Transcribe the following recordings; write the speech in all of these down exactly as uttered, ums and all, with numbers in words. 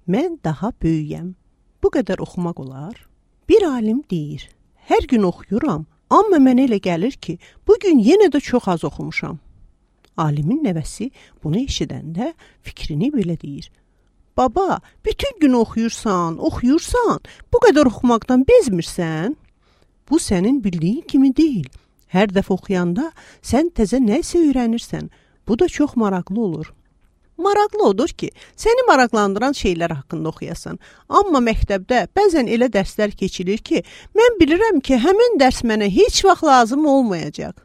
Mən daha böyüyəm. Bu qədər oxumaq olar? Bir alim deyir, hər gün oxuyuram, amma mənə elə gəlir ki, bugün yenə də çox az oxumuşam. Alimin nəvəsi bunu eşidəndə fikrini belə deyir. Baba, bütün gün oxuyursan, oxuyursan, bu qədər oxumaqdan bezmirsən? Bu sənin bildiyin kimi deyil. Hər dəfə oxuyanda sən təzə nəsə öyrənirsən. Bu da çox maraqlı olur. Maraqlı odur ki, səni maraqlandıran şeylər haqqında oxuyasan. Amma məktəbdə bəzən elə dərslər keçilir ki, mən bilirəm ki, həmin dərs mənə heç vaxt lazım olmayacaq.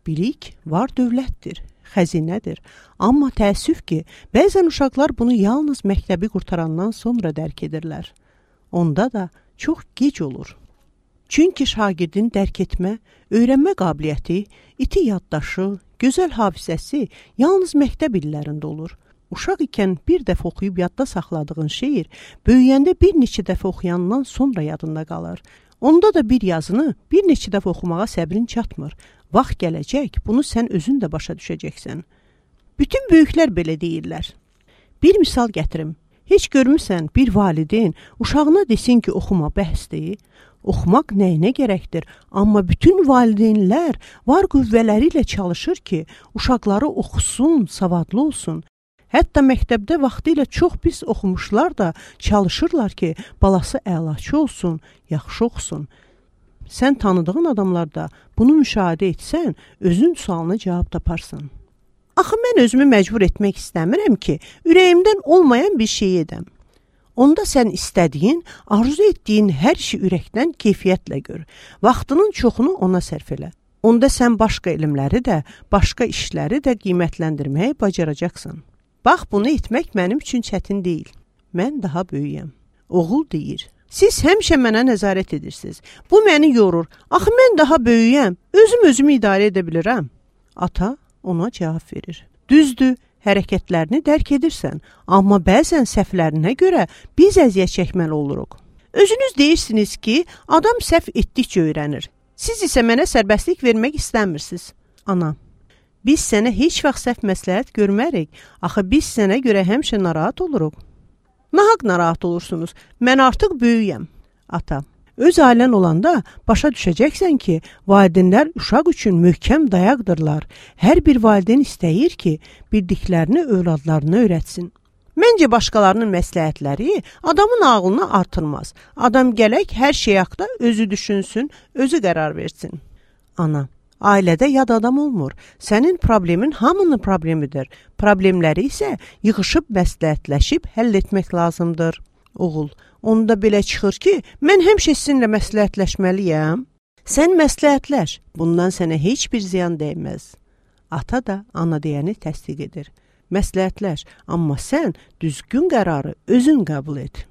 Bilik var dövlətdir, xəzinədir. Amma təəssüf ki, bəzən uşaqlar bunu yalnız məktəbi qurtarandan sonra dərk edirlər. Onda da çox gec olur. Çünki şagirdin dərk etmə, öyrənmə qabiliyyəti, iti yaddaşı, gözəl hafizəsi yalnız məktəb illərində olur. Uşaq ikən bir dəfə oxuyub yadda saxladığın şeir, böyüyəndə bir neçə dəfə oxuyandan sonra yadında qalır. Onda da bir yazını bir neçə dəfə oxumağa səbrin çatmır. Vaxt gələcək, bunu sən özün də başa düşəcəksən. Bütün böyüklər belə deyirlər. Bir misal gətirim. Heç görmüsən bir valideyn uşağına desin ki, oxuma bəhsdir. Oxumaq nəyinə gərəkdir? Amma bütün valideynlər var qüvvələri ilə çalışır ki, uşaqları oxusun, savadlı olsun. Hətta məktəbdə vaxtı ilə çox pis oxumuşlar da çalışırlar ki, balası əlaçı olsun, yaxşı oxusun. Sən tanıdığın adamlarda bunu müşahidə etsən, özün sualına cavab taparsan. Axı mən özümü məcbur etmək istəmirəm ki, ürəyimdən olmayan bir şey edəm. Onda sən istədiyin, arzu etdiyin hər işi ürəkdən keyfiyyətlə gör. Vaxtının çoxunu ona sərf elə. Onda sən başqa elmləri də, başqa işləri də qiymətləndirməyi bacaracaqsan. Bax, bunu etmək mənim üçün çətin deyil. Mən daha böyüyəm. Oğul deyir, siz həmişə mənə nəzarət edirsiniz. Bu məni yorur. Axı mən daha böyüyəm. Özüm özümü idarə edə bilirəm. Ata ona cavab verir. Düzdür, hərəkətlərini dərk edirsən, amma bəzən səhvlərinə görə biz əziyyət çəkməli oluruq. Özünüz deyirsiniz ki, adam səhv etdikcə öyrənir. Siz isə mənə sərbəstlik vermək istəmirsiniz. Ana, biz sənə heç vaxt səhv məsləhət görmərik. Axı biz sənə görə həmişə narahat oluruq. Nahaq narahat olursunuz. Mən artıq böyüyəm. Ata, öz ailən olanda başa düşəcəksən ki, valideynlər uşaq üçün möhkəm dayaqdırlar. Hər bir valideyn istəyir ki, bildiklərini övladlarına öyrətsin. Məncə başqalarının məsləhətləri adamın ağlını artırmaz. Adam gərək hər şey haqda özü düşünsün, özü qərar versin. Ana, ailədə yad adam olmur. Sənin problemin hamının problemidir. Problemləri isə yığışıb məsləhətləşib həll etmək lazımdır. Oğul, onda belə çıxır ki, mən həmişə sizinlə məsləhətləşməliyəm. Sən məsləhətləş, bundan sənə heç bir ziyan dəyməz. Ata da ana deyəni təsdiq edir. Məsləhətləş, amma sən düzgün qərarı özün qəbul et.